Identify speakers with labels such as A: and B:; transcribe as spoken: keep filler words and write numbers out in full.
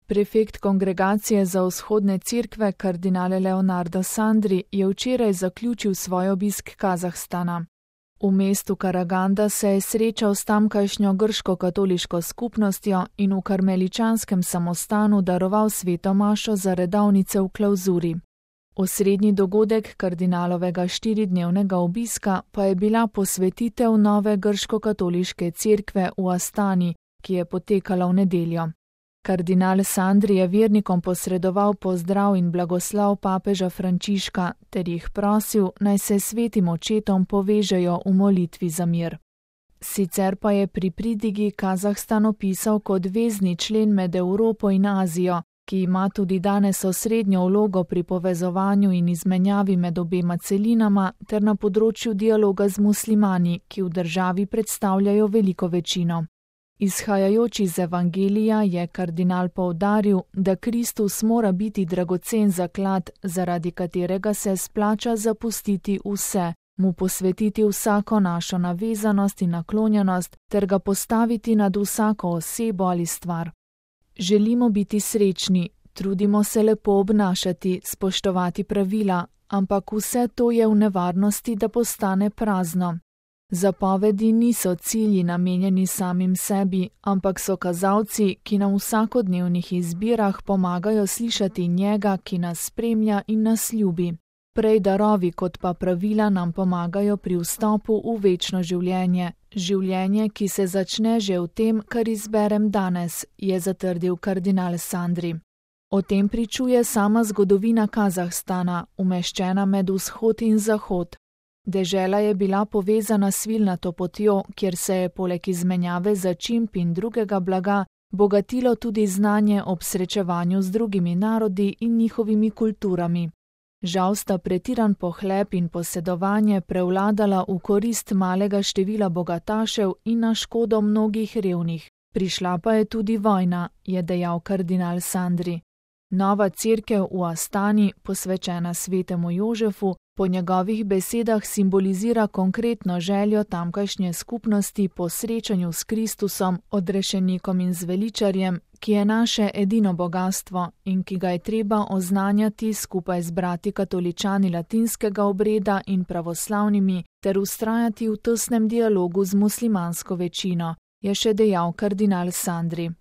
A: Prefekt Kongregacije za vzhodne cerkve kardinal Leonardo Sandri je včeraj zaključil svoj obisk Kazahstana. V mestu Karaganda se je srečal s tamkajšnjo grško-katoliško skupnostjo in v karmeličanskem samostanu daroval sveto mašo za redovnice v klavzuri. Osrednji dogodek kardinalovega štiridnevnega obiska pa je bila posvetitev nove grško-katoliške cerkve v Astani, ki je potekala v nedeljo. Kardinal Sandri je vernikom posredoval pozdrav in blagoslov papeža Frančiška ter jih prosil, naj se svetim očetom povežejo v molitvi za mir. Sicer pa je pri pridigi Kazahstan opisal kot vezni člen med Evropo in Azijo, ki ima tudi danes osrednjo vlogo pri povezovanju in izmenjavi med obema celinama ter na področju dialoga z muslimani, ki v državi predstavljajo veliko večino. Izhajajoč iz Evangelija je kardinal poudaril, da Kristus mora biti dragocen zaklad, zaradi katerega se splača zapustiti vse, mu posvetiti vsako našo navezanost in naklonjenost ter ga postaviti nad vsako osebo ali stvar. Želimo biti srečni, trudimo se lepo obnašati, spoštovati pravila, ampak vse to je v nevarnosti, da postane prazno. Zapovedi niso cilji namenjeni samim sebi, ampak so kazalci, ki nam v vsakodnevnih izbirah pomagajo slišati njega, ki nas spremlja in nas ljubi. Prej darovi kot pa pravila nam pomagajo pri vstopu v večno življenje, življenje, ki se začne že v tem, kar izberem danes, je zatrdil kardinal Sandri. O tem pričuje sama zgodovina Kazahstana, umeščena med vzhod in zahod. Dežela je bila povezana s svilnato potjo, kjer se je poleg izmenjave začimb in drugega blaga bogatilo tudi znanje ob srečevanju z drugimi narodi in njihovimi kulturami. Žal sta pretiran pohlep in posedovanje prevladala v korist malega števila bogatašev in na škodo mnogih revnih. Prišla pa je tudi vojna, je dejal kardinal Sandri. Nova cerkev v Astani, posvečena svetemu Jožefu, po njegovih besedah simbolizira konkretno željo tamkajšnje skupnosti po srečanju s Kristusom, odrešenikom in zveličarjem, ki je naše edino bogastvo in ki ga je treba oznanjati skupaj z brati katoličani latinskega obreda in pravoslavnimi ter vztrajati v tesnem dialogu z muslimansko večino, je še dejal kardinal Sandri.